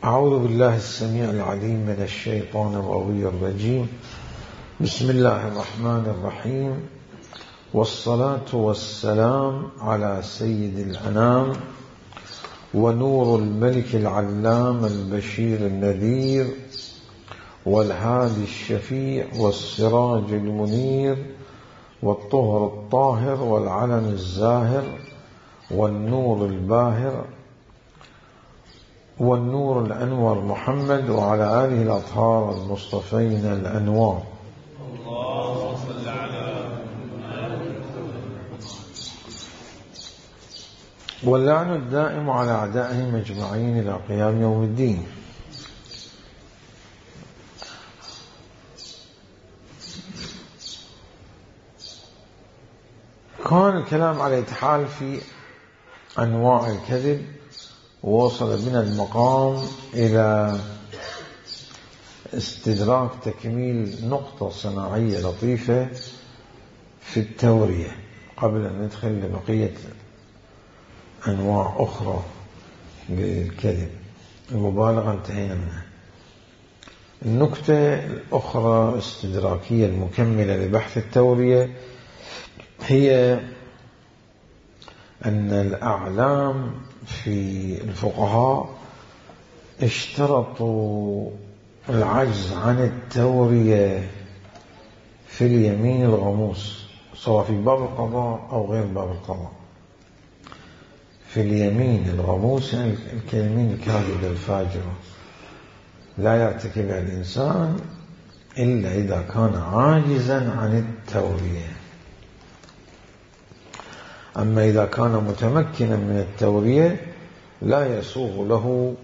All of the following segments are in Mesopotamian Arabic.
أعوذ بالله السميع العليم من الشيطان الغوي الرجيم. بسم الله الرحمن الرحيم، والصلاة والسلام على سيد الأنام ونور الملك العلام البشير النذير والهادي الشفيع والسراج المنير والطهر الطاهر والعلم الزاهر والنور الباهر والنور الأنور محمد وعلى آله الأطهار المصطفين الأنوار. اللهم صل على واللعن الدائم على أعدائهم أجمعين إلى قيام يوم الدين. كان الكلام على الاتحال في أنواع الكذب، ووصل بنا المقام إلى استدراك تكميل نقطة صناعية لطيفة في التورية قبل أن ندخل لبقية أنواع أخرى للكذب. المبالغة انتهينا منها. النكتة الأخرى استدراكية المكملة لبحث التورية هي أن الأعلام في الفقهاء اشترطوا العجز عن التورية في اليمين الغموس، سواء في باب القضاء أو غير باب القضاء. في اليمين الغموس يعني اليمين الكاذبة الفاجرة لا يرتكبها الإنسان إلا إذا كان عاجزا عن التورية. أما إذا كان متمكنا من التورية لا يسوغ له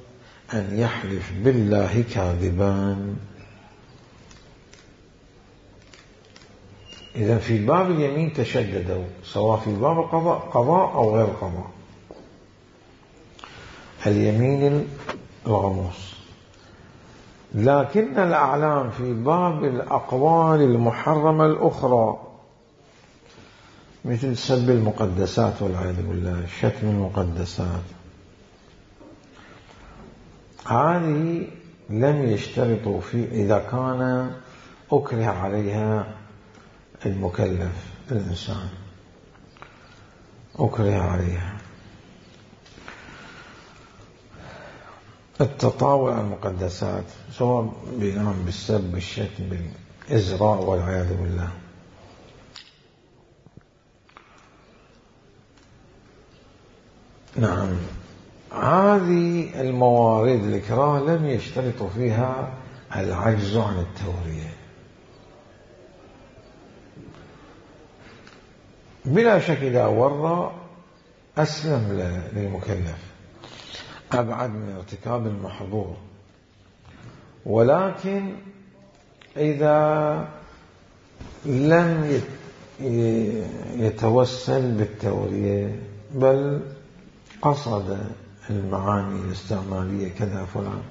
أن يحلف بالله كاذبا. إذا في باب اليمين تشددوا، سواء في باب قضاء أو غير قضاء. اليمين الغموس. لكن الأعلام في باب الأقوال المحرمة الأخرى مثل سب المقدسات والعياذ بالله، شتم المقدسات، هذه لم يشترطوا في إذا كان أكره عليها المكلف الإنسان، أكره عليها. التطاول على المقدسات سواء بالسب بالشتم بالإزراء والعياذ بالله. نعم، هذه الموارد الإكراه لم يشترطوا فيها العجز عن التورية. بلا شك إذا ورى أسلم للمكلف، أبعد من ارتكاب المحظور. ولكن إذا لم يتوسل بالتورية بل قصد المعاني الاستعمالية كذا فلان،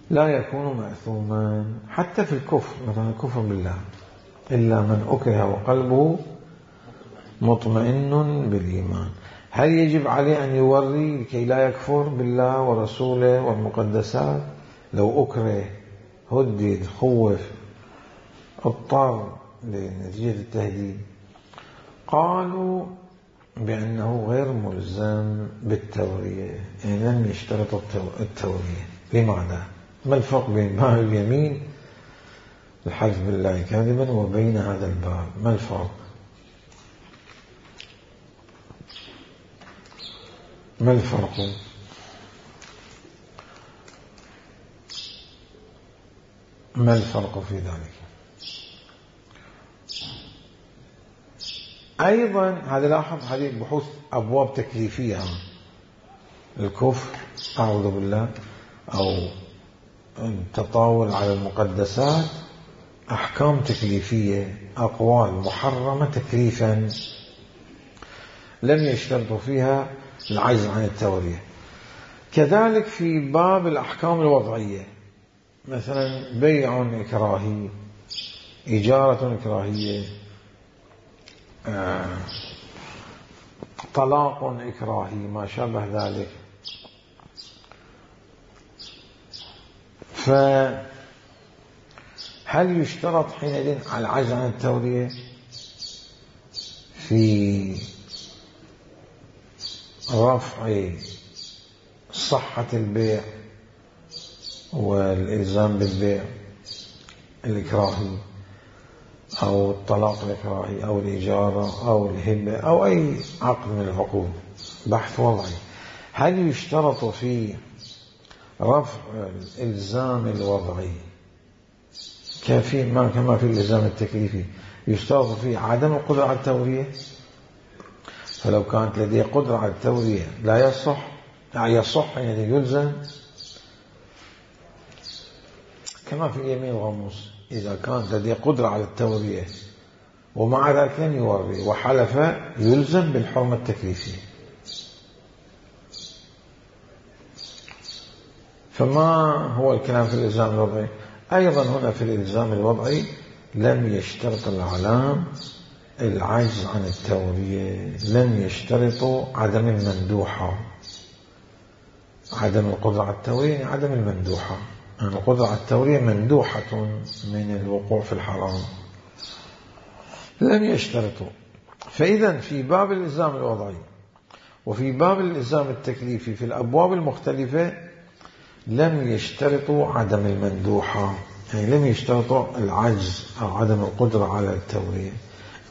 لا يكون مأثوما. حتى في الكفر، مثلا الكفر بالله، إلا من أكره وقلبه مطمئن بالإيمان. هل يجب عليه أن يوري لكي لا يكفر بالله ورسوله والمقدسات؟ لو أكره، هدد، خوف، اضطر لنتيجة التهديد، قالوا بأنه غير ملزم بالتورية، يعني لم يشترط التورية. لماذا؟ ما الفرق بين باب اليمين الحلف بالله كاذبا وبين هذا الباب؟ ما الفرق؟ ما الفرق؟ ما الفرق في ذلك؟ أيضا هذا لاحظ، هذه بحوث أبواب تكليفية. الكفر أعوذ بالله أو التطاول على المقدسات أحكام تكليفية، أقوال محرمة تكليفا لم يشترطوا فيها العجز عن التورية. كذلك في باب الأحكام الوضعية، مثلا بيع إكراهي، إجارة إكراهية، طلاق إكراهي، ما شابه ذلك، فهل يشترط حينئذ على العجز عن التورية في رفع صحة البيع والإلزام بالبيع الإكراهي أو الطلاق الإكراهي أو الإجارة أو الهبة أو أي عقد من العقود؟ بحث وضعي. هل يشترط في رفع الإلزام الوضعي كما في الإلزام التكليفي يشترط فيه عدم القدرة على التورية؟ فلو كانت لديه قدرة على التورية لا يصح يعني يلزم، كما في اليمين الغموس إذا كانت لديه قدرة على التورية ومع ذلك لم يوري وحلف يلزم بالحرمة التكليفية. فما هو الكلام في الإلزام الوضعي؟ أيضا هنا في الإلزام الوضعي لم يشترط الأعلام العجز عن التورية، لم يشترطوا عدم المندوحة. عدم القدرة على التورية يعني عدم المندوحة، يعني القدرة على التورية مندوحة من الوقوع في الحرام، لم يشترطوا. فإذا في باب الإلزام الوضعي وفي باب الإلزام التكليفي في الأبواب المختلفة لم يشترطوا عدم المندوحة، يعني لم يشترطوا العجز أو عدم القدرة على التورية،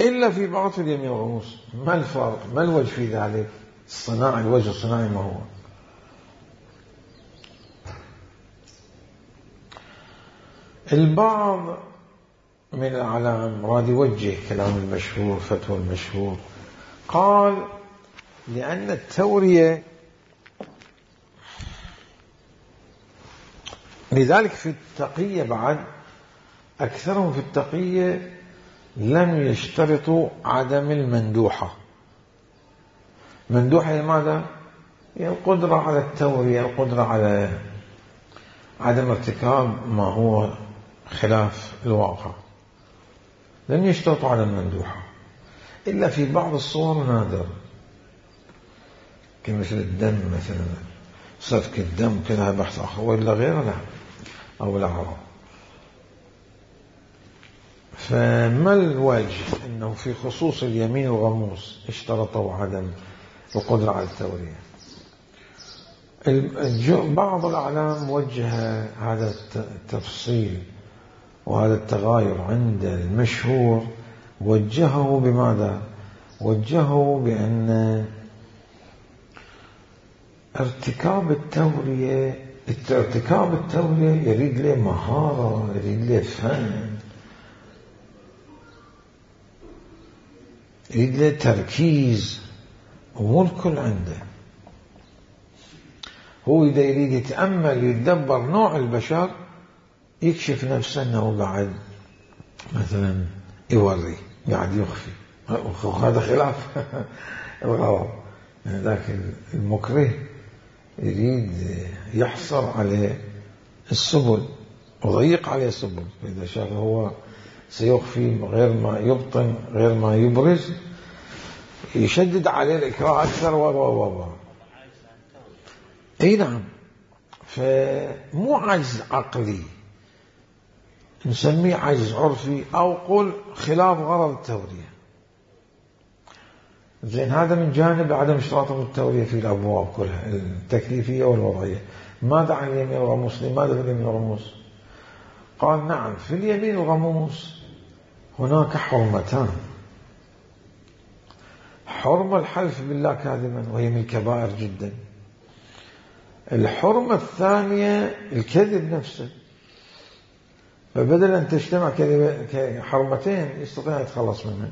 إلا في بعض اليمين والغموس. ما الفرق؟ ما الوجه في ذلك؟ الوجه الصناعي ما هو؟ البعض من الأعلام راد يوجه كلام المشهور، فتوى المشهور، قال لأن التورية، لذلك في التقية بعد أكثرهم في التقية لم يشترطوا عدم المندوحة. مندوحة لماذا؟ يعني القدرة على التورية، القدرة على عدم ارتكاب ما هو خلاف الواقع، لم يشترطوا عدم المندوحة إلا في بعض الصور نادر، كمثل الدم مثلا، سفك الدم كذا بحث آخر، وإلا غيره لا، أو الأعراض. فما الوجه أنه في خصوص اليمين والغموس اشترطوا عدم القدرة على التورية؟ بعض الأعلام وجه هذا التفصيل وهذا التغاير عند المشهور، وجهه بماذا؟ وجهه بأن ارتكاب التورية يريد له مهارة، يريد له فن، يريد له تركيز، ومو الكل عنده. هو إذا يريد يتأمل يتدبر نوع البشر يكشف نفسه أنه قاعد مثلا يوري، قاعد يخفي، هذا خلاف الغرض. يعني ذاك المكره يريد يحصر عليه السبل وضيق عليه السبل، فإذا شاف هو سيخفي غير ما يبطن غير ما يبرز يشدد عليه الإكراه أكثر أي نعم. فمو عجز عقلي، نسميه عجز عرفي أو قل خلاف غرض التورية. زين، هذا من جانب عدم اشتراطهم التورية في الأبواب كلها التكليفية والوضعية. ماذا عن اليمين والغموس؟ لماذا في اليمين والغموس؟ قال نعم، في اليمين والغموس هناك حرمتان: حرمة الحلف بالله كاذبا وهي من الكبائر جدا، الحرمة الثانية الكذب نفسه. فبدل أن تجتمع حرمتين يستطيع أن يتخلص منها.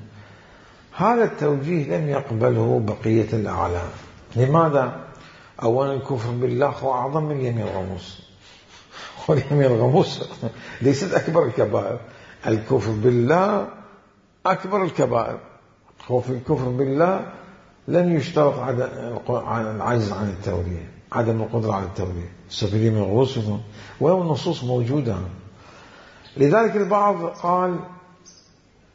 هذا التوجيه لم يقبله بقية الأعلام. لماذا؟ أولا الكفر بالله هو أعظم من اليمين الغموس، واليمين الغموس ليست أكبر الكبائر، الكفر بالله أكبر الكبائر. هو في الكفر بالله لم يشترط العجز عن التورية، عدم القدرة على التورية، السفيرين من الغموس، ولو النصوص موجودة. لذلك البعض قال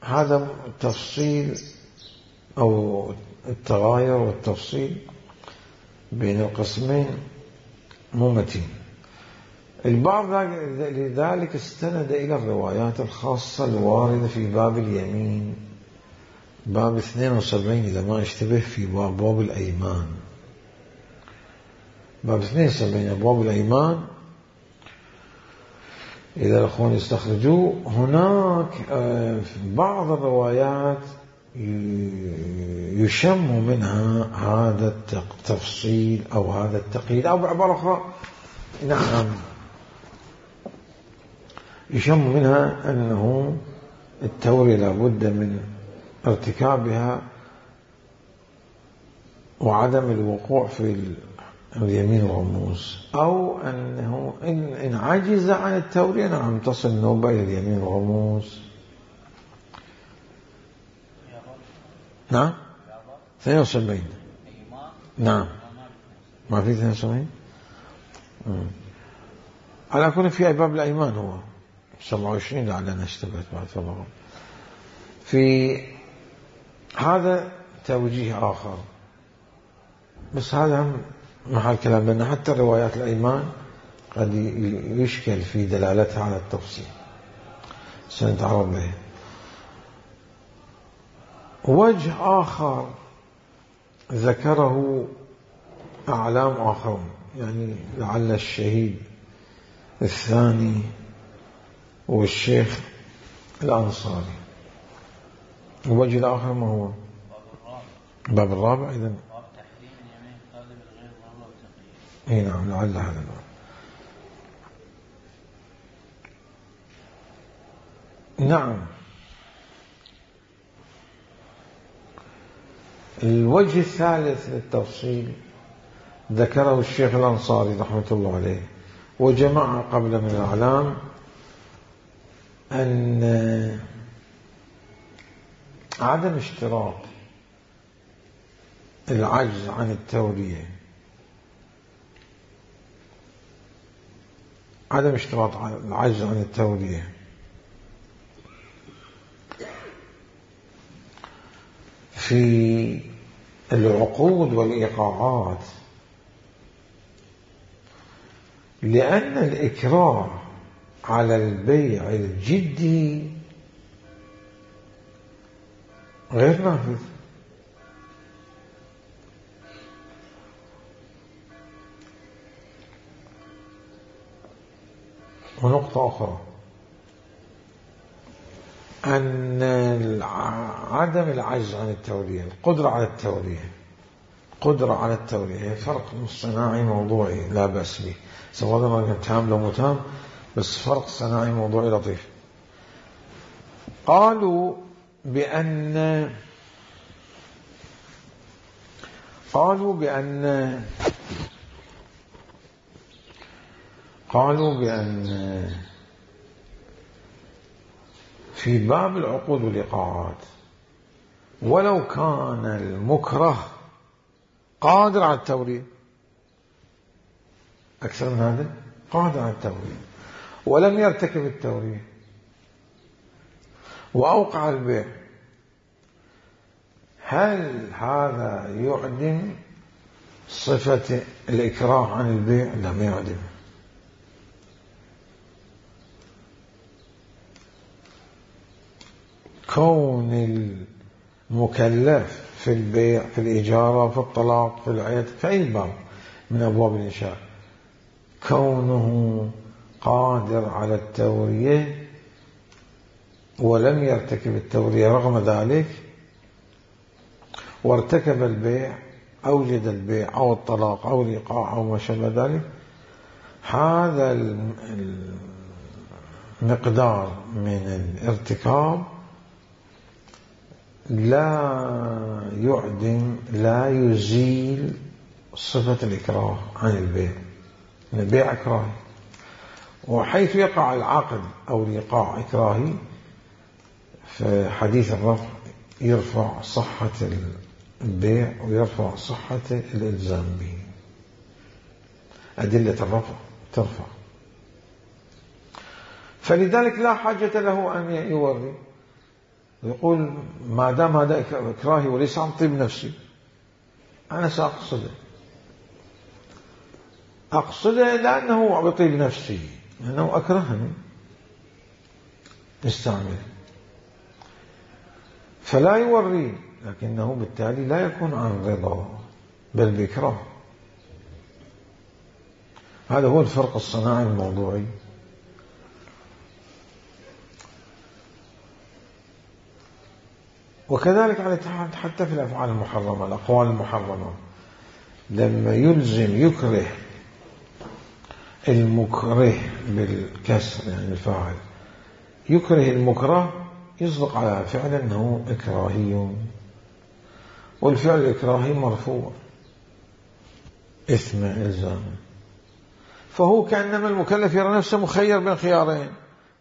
هذا التفصيل أو التغاير والتفصيل بين القسمين مو متين. البعض لذلك استند إلى الروايات الخاصة الواردة في باب اليمين، باب 72 إذا ما اشتبه، في باب الأيمان، باب 72 أبواب الأيمان، إذا الأخوان يستخرجوا هناك بعض الروايات يشم منها هذا التفصيل أو هذا التقييد، أو بعبارة أخرى نعم يشم منها أنه التورية لابد من ارتكابها وعدم الوقوع في اليمين والغموس، أو أنه إن عجز عن التورية نعم تصل النوبة إلى اليمين والغموس. نعم 72 نعم ما في 72 على كل في باب الأيمان هو 27 لعلنا اشتبهت بعد الله. في هذا توجيه آخر، بس هذا هم محل كلام، لأن حتى روايات الأيمان قد يشكل في دلالتها على التفصيل، سنتعرض له. وجه آخر ذكره أعلام آخرون، يعني لعل الشهيد الثاني والشيخ الأنصاري. الوجه الآخر ما هو؟ باب الرابع. إذن اي نعم لعل هذا الباب. نعم الوجه الثالث للتفصيل ذكره الشيخ الأنصاري رحمة الله عليه وجماعة قبل من الأعلام، أن عدم اشتراط العجز عن التورية، عدم اشتراط العجز عن التورية في العقود والإيقاعات، لأن الإكراه على البيع الجدي غير نافذ. ونقطة أخرى أن عدم العجز عن التورية، القدرة على التورية، قدرة على التورية فرق صناعي موضوعي لا بأس به، سواء كان تام لو متام، بس فرق صناعي موضوعي لطيف. قالوا بأن في باب العقود والإيقاعات ولو كان المكره قادر على التورية، أكثر من هذا قادر على التورية ولم يرتكب التورية وأوقع البيع، هل هذا يعدم صفة الإكراه عن البيع؟ لا، ما يعدم. كون المكلف في البيع، في الإجارة، في الطلاق، في العيد، في أي باب من أبواب الإنشاء، كونه قادر على التورية ولم يرتكب التورية رغم ذلك وارتكب البيع، أوجد البيع أو الطلاق أو الإيقاع أو ما شابه ذلك، هذا المقدار من الارتكاب لا يعدم، لا يزيل صفة الإكراه عن البيع. البيع إكراهي، وحيث يقع العقد أو الإيقاع إكراهي في حديث الرفع يرفع صحة البيع ويرفع صحة الإلزام به، أدلة الرفع ترفع، فلذلك لا حاجة له أن يوري، يقول ما دام هذا إكراهي وليس عن طيب نفسي أنا سأقصده. أقصده لأنه بطيب نفسي، لأنه أكرهني استعمل، فلا يوري، لكنه بالتالي لا يكون عن رضا بل بإكراه. هذا هو الفرق الصناعي الموضوعي. وكذلك على حتى في الأفعال المحرمة، الأقوال المحرمة، لما يلزم يكره المكره بالكسر، يعني الفاعل يكره المكره، يصدق على فعل أنه إكراهي، والفعل الإكراهي مرفوع إثم إلزاما، فهو كأنما المكلف يرى نفسه مخير بين خيارين،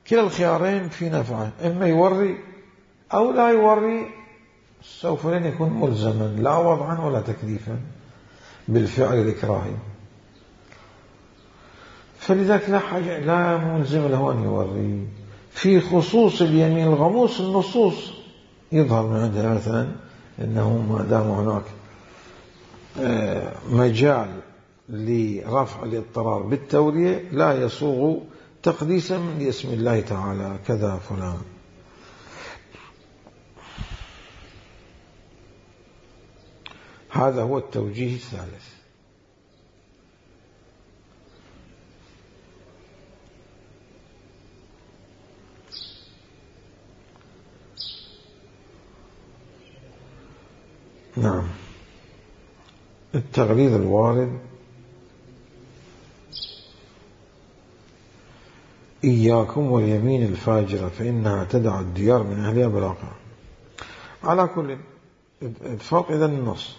كلا الخيارين في نفعه، إما يوري أو لا يوري، سوف لن يكون ملزما لا وضعا ولا تكليفا بالفعل الإكراهي. فلذلك لا حاجة، لا ملزم له أن يوري. في خصوص اليمين الغموس النصوص يظهر من عندها مثلا إنه ما دام هناك مجال لرفع الاضطرار بالتورية لا يصوغ تقديسا لاسم الله تعالى كذا فلان. هذا هو التوجيه الثالث. نعم، التغليظ الوارد: إياكم واليمين الفاجرة فإنها تدع الديار من أهلها بلاقة. على كل اتفاق إذن النص.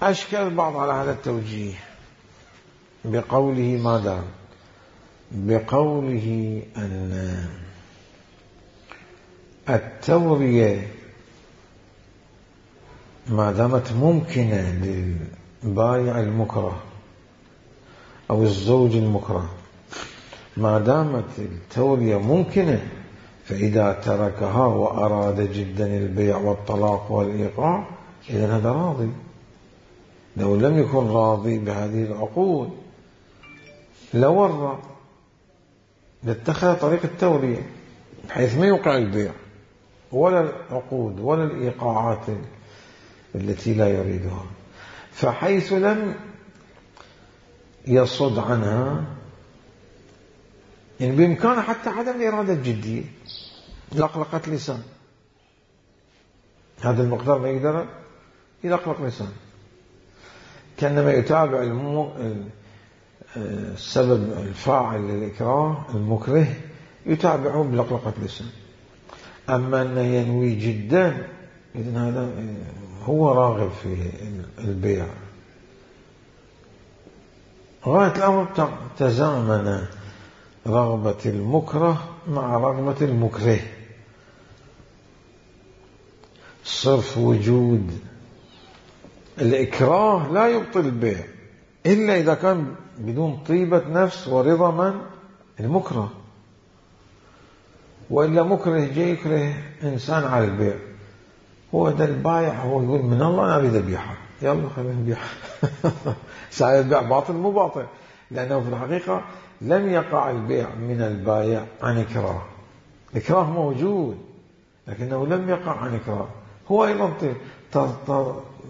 أشكل البعض على هذا التوجيه بقوله ماذا؟ بقوله أن التورية ما دامت ممكنة للبائع المكره أو الزوج المكره، ما دامت التورية ممكنة، فإذا تركها وأراد جدا البيع والطلاق والإيقاع إذن هذا راضي. لو لم يكن راضي بهذه العقود لورى، لاتخذ طريق التورية بحيث ما يوقع البيع ولا العقود ولا الإيقاعات التي لا يريدها. فحيث لم يصد عنها، يعني بإمكانه حتى عدم الإرادة الجدية، لقلقة لسان، هذا المقدار ما يقدر يلقلق لسان، كأنما يتابع السبب الفاعل للإكراه المكره يتابعه بلقلقة لسان. أما أنه ينوي جدا، إذن هذا هو راغب في البيع. غاية الأمر تزامن رغبة المكره مع رغبة المكره، صرف وجود الإكراه لا يبطل البيع إلا إذا كان بدون طيبة نفس ورضا من المكره، وإلا مكره جاي يكره إنسان على البيع، هو ده البايع، هو يقول من الله أنا أريد أبيعها، يلا خلينا نبيعها. ساعة البيع باطل مو باطل، لأنه في الحقيقة لم يقع البيع من البايع عن إكراه، الإكراه موجود لكنه لم يقع عن إكراه، هو أيضا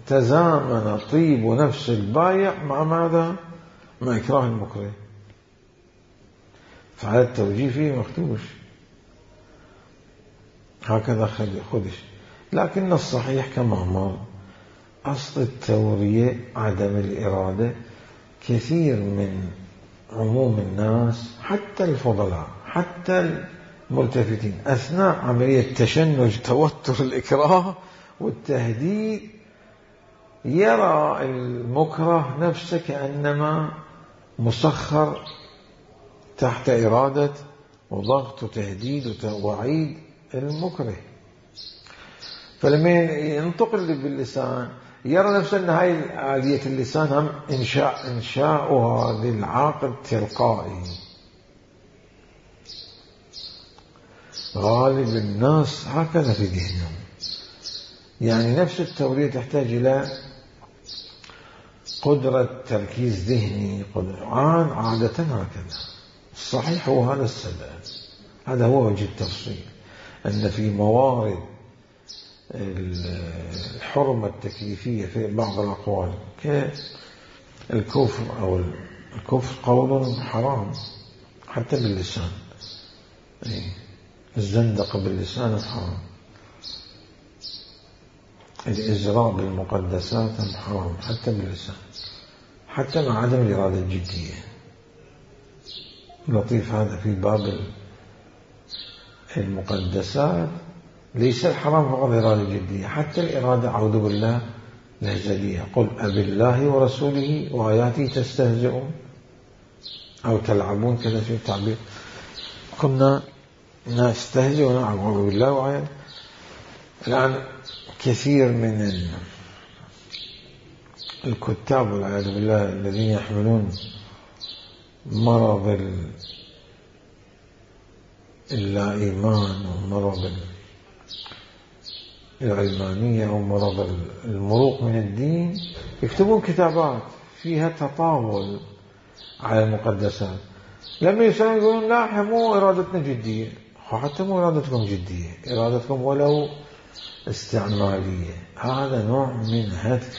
تزامن طيب نفس البايع مع ماذا؟ مع إكراه المكره، فهذا التوجيه فيه مختوش، هكذا خدش. لكن الصحيح كما مر أصل التورية عدم الإرادة. كثير من عموم الناس حتى الفضلاء حتى الملتفتين أثناء عملية تشنج توتر الإكراه والتهديد يرى المكره نفسه كأنما مسخر تحت إرادة وضغط وتهديد ووعيد المكره، فلما ينتقل باللسان يرى نفسه أن هاي آلية اللسان هم إنشاؤها للعاقل تلقائي. غالب الناس هكذا في ذهنهم، يعني نفس التورية تحتاج إلى قدرة تركيز ذهني، عادة هكذا. الصحيح هو هذا السبب، هذا هو وجه التفصيل، أن في موارد الحرمة التكليفية في بعض الأقوال كالكفر، أو الكفر قول حرام حتى باللسان، الزندقة باللسان حرام، الإزراء بالمقدسات حرام حتى باللسان، حتى مع عدم الإرادة الجدية. لطيف هذا في باب المقدسات، ليس الحرام فقط الإرادة الجدية، حتى الإرادة أعوذ بالله الهزلية، قل أبالله ورسوله وآياته تستهزئون أو تلعبون، كذا في التعبير، كنا نستهزئ ونعوذ بالله وآياته. الآن كثير من الكتاب والعياذ بالله الذين يحملون مرض اللا إيمان ومرض العلمانية ومرض المروق من الدين، يكتبون كتابات فيها تطاول على المقدسات. لما يسألون يقولون لا، احنا مو إرادتنا جدية. حتى مو إرادتكم جدية، إرادتكم ولو استعمالية. هذا نوع من هتك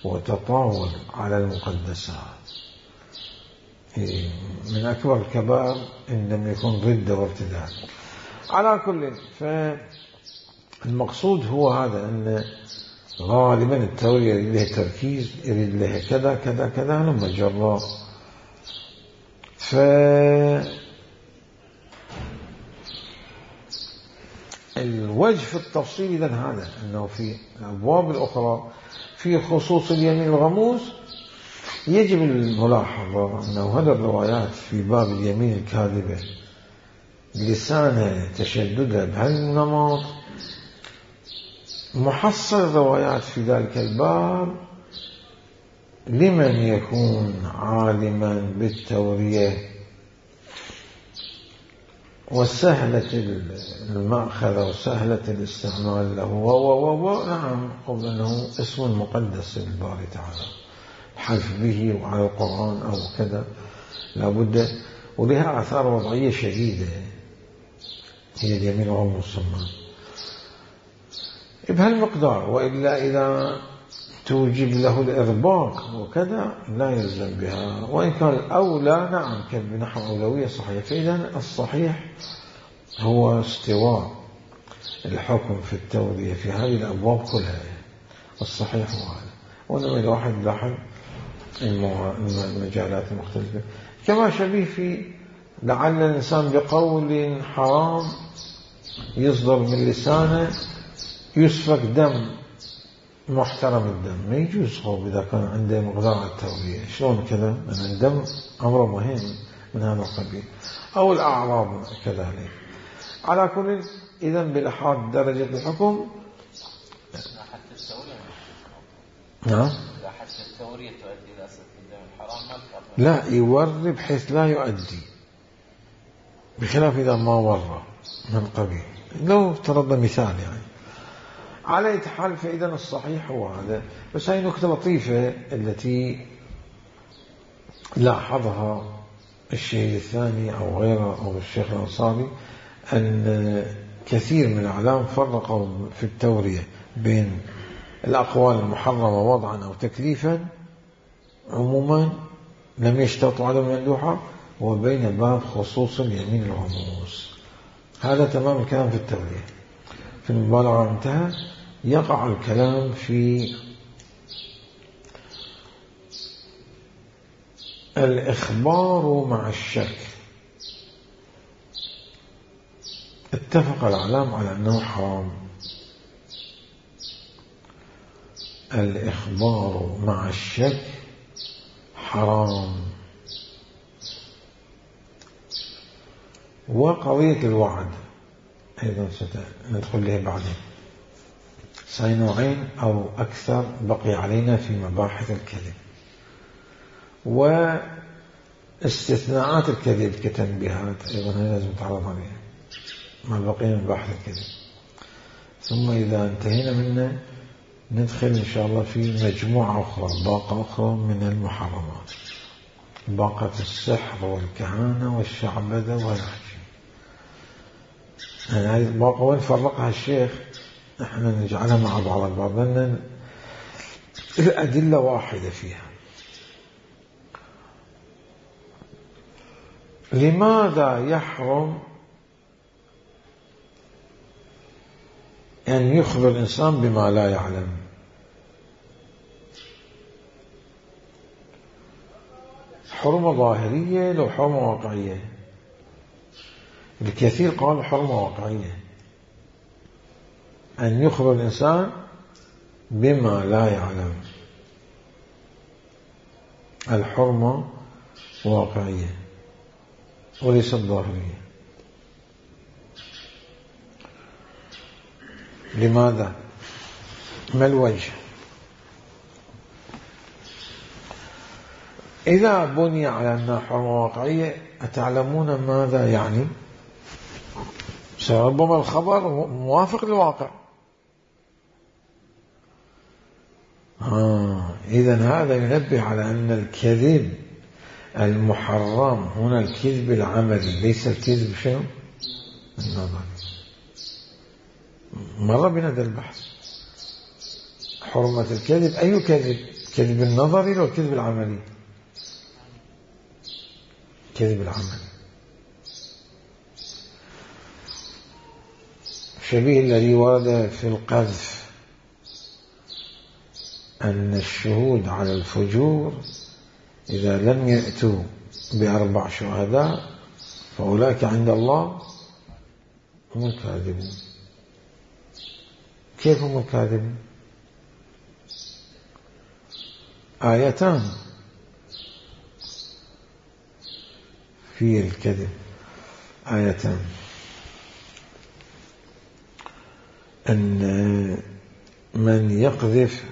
وتطاول على المقدسات، من أكبر الكبائر إن لم يكن ردة وارتداد. على كل، فالمقصود هو هذا، أن غالبا التورية يريد له تركيز، يريد له كذا كذا كذا لما جرى. الوجه في التفصيل إذن هذا، أنه في الأبواب الأخرى في خصوص اليمين الغموس يجب الملاحظة أنه هذه الروايات في باب اليمين الكاذبة لسانة تشددها بهالنمط، محصل الروايات في ذلك الباب لمن يكون عالما بالتورية وسهلة المأخذ وسهلة الاستعمال له، نعم، قبل أنه اسم مقدس للباري تعالى، الحلف به وعلى القرآن أو كذا لابد، ولها آثار وضعية شديدة، هي اليمين والمسمى بهالمقدار، وإلا إذا توجب له الإرباق وكذا لا يلزم بها، وإن كان الأولى نعم بنحو أولوية صحيح. فإذا الصحيح هو استواء الحكم في التورية في هذه الأبواب كلها، الصحيح هو هذا. وإنما إذا واحد لاحظ المجالات المختلفة، كما شبيه في لعل الإنسان بقول حرام يصدر من لسانه يسفك دم محترم الدم، ما يجوز خوف إذا كان عنده مقدار التورية. شلون كذا؟ لأن الدم أمر مهم من هذا القبيل، أو الأعراض كذلك. على كل، إذن بالإحاط درجة الحكم، حتى التورية نعم، حتى التورية تؤدي إلى سفك الدم الحرام، لا يوري بحيث لا يؤدي، بخلاف إذا ما ورى من قبيل. لو افترضنا مثال يعني على أي حال، فإذا الصحيح هو هذا. بس هاي نكتة لطيفة التي لاحظها الشيخ الثاني أو غيره أو الشيخ الأنصاري، أن كثير من الأعلام فرقوا في التورية بين الأقوال المحرمة وضعا أو تكليفا عموما لم يشترطوا عدم المندوحة، وبين باب خصوص اليمين الغموس. هذا تمام الكلام في التورية. في المبالغة انتهى، يقع الكلام في الإخبار مع الشك. اتفق العلماء على أنه حرام الإخبار مع الشك، حرام. وقضية الوعد أيضا سندخل له بعدين، نوعين أو أكثر بقي علينا في مباحث الكذب واستثناءات الكذب كتنبيهات، أيضا لازم نتعرض عليها ما بقي من مباحث الكذب. ثم إذا انتهينا منه ندخل إن شاء الله في مجموعة أخرى، باقة أخرى من المحرمات، باقة السحر والكهانة والشعبذة والحشي. يعني هذه الباقة وين فرقها الشيخ؟ احنا نجعلها مع بعض البعض لأن الأدلة واحدة فيها. لماذا يحرم أن يخبر الإنسان بما لا يعلم؟ حرمة ظاهرية لو حرمة واقعية؟ الكثير قالوا حرمة واقعية، أن يخبر الإنسان بما لا يعلم. الحرمة واقعية وليست ظاهرية. لماذا؟ ما الوجه؟ إذا بني على أنها حرمة واقعية أتعلمون ماذا يعني؟ ربما الخبر موافق للواقع. إذن هذا ينبه على أن الكذب المحرم هنا الكذب العملي، ليس الكذب شنو؟ النظر. مر بنا هذا البحث. حرمة الكذب أي كذب؟ كذب النظري أو الكذب العملي؟ كذب العملي. شبيه الذي ورد في القذف أن الشهود على الفجور إذا لم يأتوا ب4 شهداء فأولئك عند الله هم الكاذبون. كيف هم الكاذبون؟ آيتان في الكذب، آيتان، أن من يقذف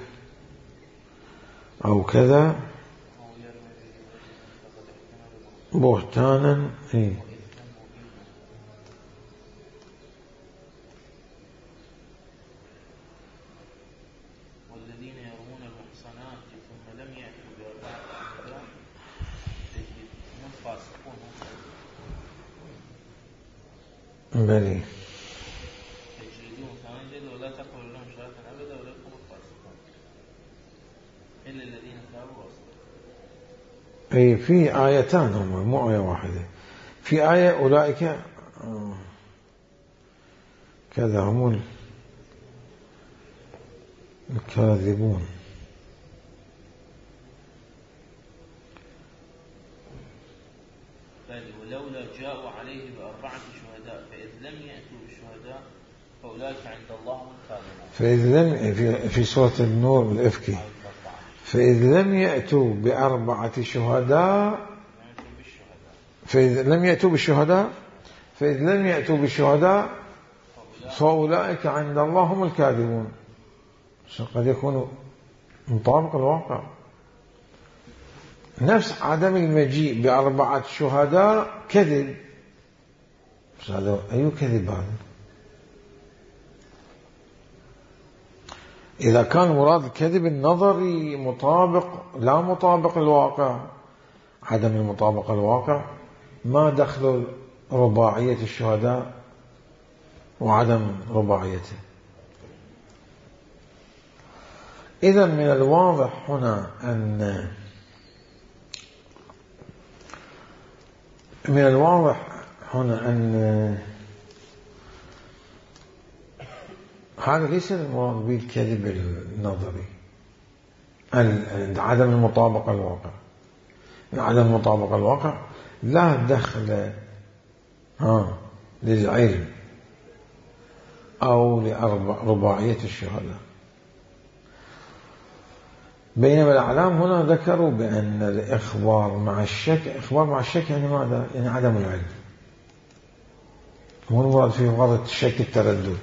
أو كذا بهتانا والذين يرمون المحصنات ثم لم يأتوا ب4 شهداء هم فاسقون. بلي تجلدون 8 جلد ولا تقبلوا لهم شهادة أبدا أولئك هم الفاسقون إلا الذين تابوا وأصلحوا. في آيتان هما مو آية واحدة. في آية أولئك كذا هم الكاذبون. ولولا جاءوا عليه ب4 شهداء فإذ لم يأتوا بالشهداء فأولئك عند الله هم الكاذبون. فإذ لم في سورة النور الإفكي فإذ لم يأتوا ب4 شهداء فإذ لم يأتوا بالشهداء فإذ لم يأتوا بالشهداء فأولئك عند الله هم الكاذبون. قد يكون مطابق الواقع. نفس عدم المجيء ب4 شهداء كذب. هذا أي كذب هذا؟ إذا كان مراد الكذب النظري مطابق لا مطابق الواقع، عدم المطابقة الواقع، ما دخل رباعية الشهداء وعدم رباعيته. إذا من الواضح هنا أن هذا ليس المراد بالكذب النظري، عدم المطابقة الواقع. عدم المطابقة الواقع لا دخل للعلم أو لرباعية الشهداء. بينما الأعلام هنا ذكروا بأن الإخبار مع الشك يعني ماذا؟ يعني عدم العلم. مو المراد فيه غرض الشك التردد.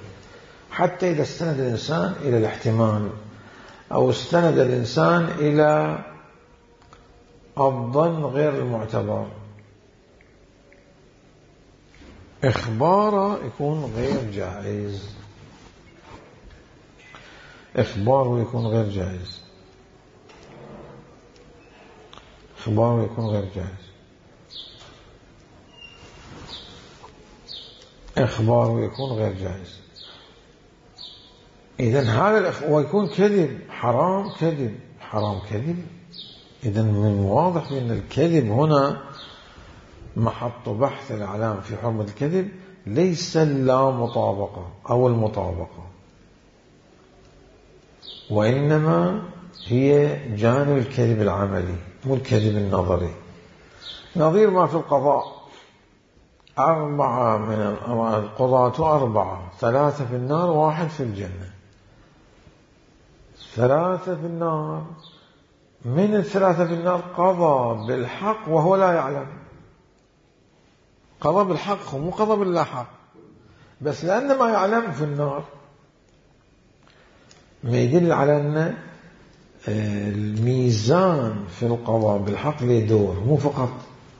حتى إذا استند الإنسان إلى الاحتمال أو استند الإنسان إلى الظن غير المعتبر، إخباره يكون غير جائز. إخباره يكون غير جائز، إخباره يكون غير جائز، إخباره يكون غير جائز. إذن هذا ويكون كذب، حرام كذب، حرام كذب. إذن من واضح أن الكذب هنا محط بحث الإعلام في حرمة الكذب ليس اللا مطابقة أو المطابقة، وإنما هي جانب الكذب العملي مو الكذب النظري. نظير ما في القضاء، 4 من القضاة 4، 3 في النار 1 في الجنة. 3 في النار، من ال3 في النار قضى بالحق وهو لا يعلم، قضى بالحق مو قضى باللا حق، بس لأن ما يعلم في النار، ما يدل على أن الميزان في القضاء بالحق له دور، مو فقط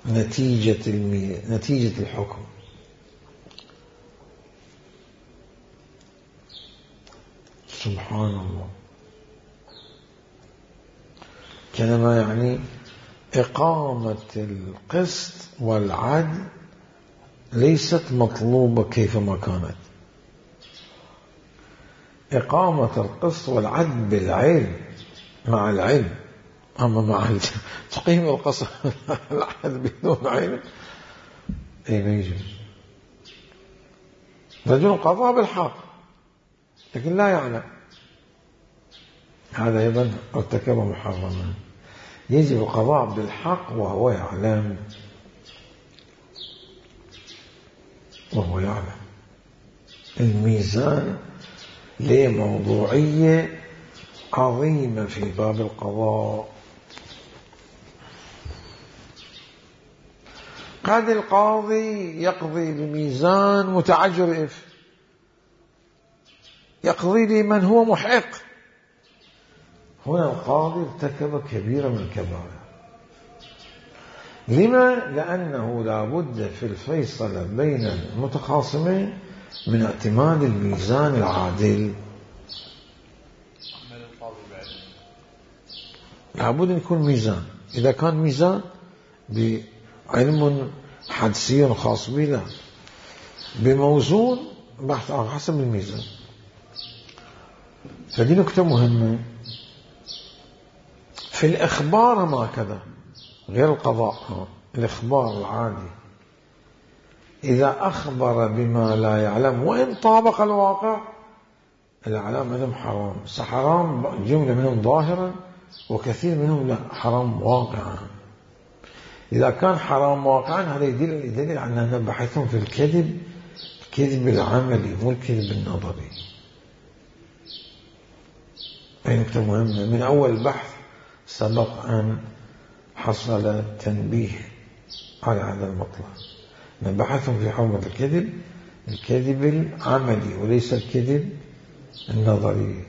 نتيجة الحكم. سبحان الله. كلمة يعني إقامة القسط والعدل ليست مطلوبة كيفما كانت. إقامة القسط والعدل بالعلم، مع العلم. أما مع تقييم القسط والعدل بدون علم أي ما يجوز. رجل قضى بالحق لكن لا يعلم، هذا أيضا ارتكب محرما. يجب القضاء بالحق وهو يعلم، وهو يعلم. الميزان له موضوعية عظيمة في باب القضاء. قد القاضي يقضي بميزان متعجرف، يقضي لمن هو محق. هنا القاضي ارتكب كبيرة من الكبائر. لما؟ لأنه لا بد في الفيصل بين المتخاصمين من اعتماد الميزان العادل. لا بد أن يكون ميزان. إذا كان ميزان بعلم حدسي خاص به، لا، بموزون بحث على حسب الميزان. فدي نكتة مهمة. في الإخبار ما كذا، غير القضاء، الإخبار العادي إذا أخبر بما لا يعلم وإن طابق الواقع، الإعلام منهم حرام. حرام جملة منهم ظاهرا وكثير منهم لا، حرام واقعا. إذا كان حرام واقعا هذا يدل على أننا بحثهم في الكذب، الكذب العملي مو الكذب النظري. هذه نقطة مهمة. من أول بحث سبق أن حصل التنبيه على هذا المطلب. بحثهم في حرمة الكذب، الكذب العملي وليس الكذب النظري.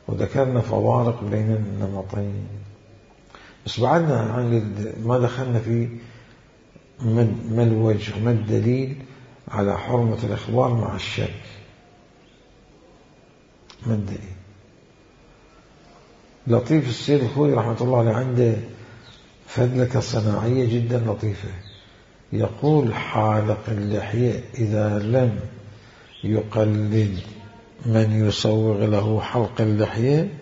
وذكرنا فوارق بين النمطين، بس بعدنا عن ما دخلنا في ما الوجه، ما الدليل على حرمة الإخبار مع الشك. ما الدليل؟ لطيف السيد الخوي رحمة الله عليه عنده فدلكة صناعية جدا لطيفة. يقول حالق اللحية إذا لم يقلد من يسوغ له حلق اللحية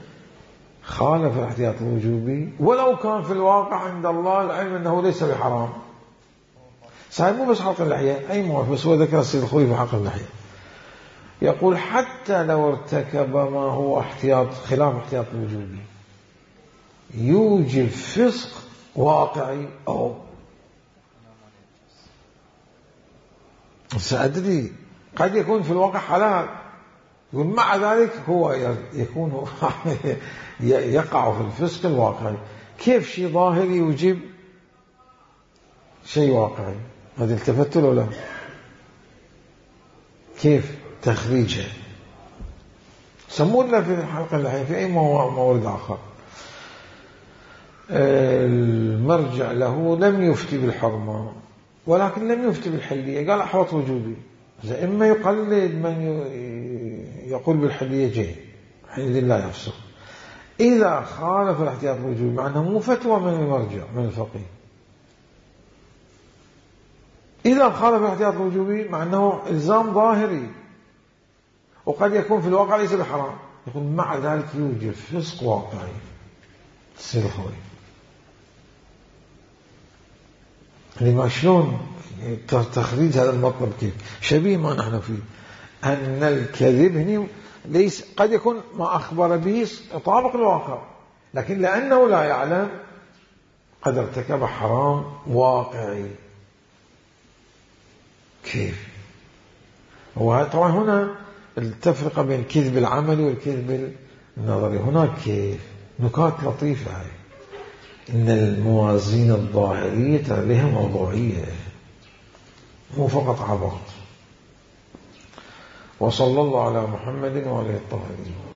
خالف الاحتياط الوجوبي، ولو كان في الواقع عند الله العلم أنه ليس بحرام. صحيح مو بس حلق اللحية، أي موافق، بس هو ذكر السيد الخوي في حلق اللحية. يقول حتى لو ارتكب ما هو احتياط خلاف احتياط الوجوبي يوجب فسق واقعي، أو سأدري قد يكون في الواقع حلال، يقول مع ذلك هو يكون يقع في الفسق الواقعي. كيف شيء ظاهري يوجب شيء واقعي؟ هذا التفت له لا؟ كيف تخريجها؟ سمونا في حلقة اللحية في أي مورد آخر. المرجع له لم يفتي بالحرمة ولكن لم يفتي بالحلية، قال أحوط وجوبي. إما يقلد من يقول بالحلية جيد حينئذ لا يفسق. إذا خالف الاحتياط الوجوبي مع أنه مو فتوى من المرجع من الفقيه، إذا خالف الاحتياط الوجوبي مع أنه إلزام ظاهري وقد يكون في الواقع ليس بحرام، يقول مع ذلك يوجد فسق واقعي. تصير خوي لما شلون تخريج هذا المطلب كيف شبيه ما نحن فيه، أن الكذب هنا ليس قد يكون ما أخبر به يطابق الواقع، لكن لأنه لا يعلم قد ارتكب حرام واقعي. كيف؟ طبعا هنا التفرقة بين الكذب العملي والكذب النظري. هناك كيف نكات لطيفة هاي، إن الموازين الظاهرية لها موضوعية مو فقط عبط. وصلى الله على محمد وعلى الطاهرين.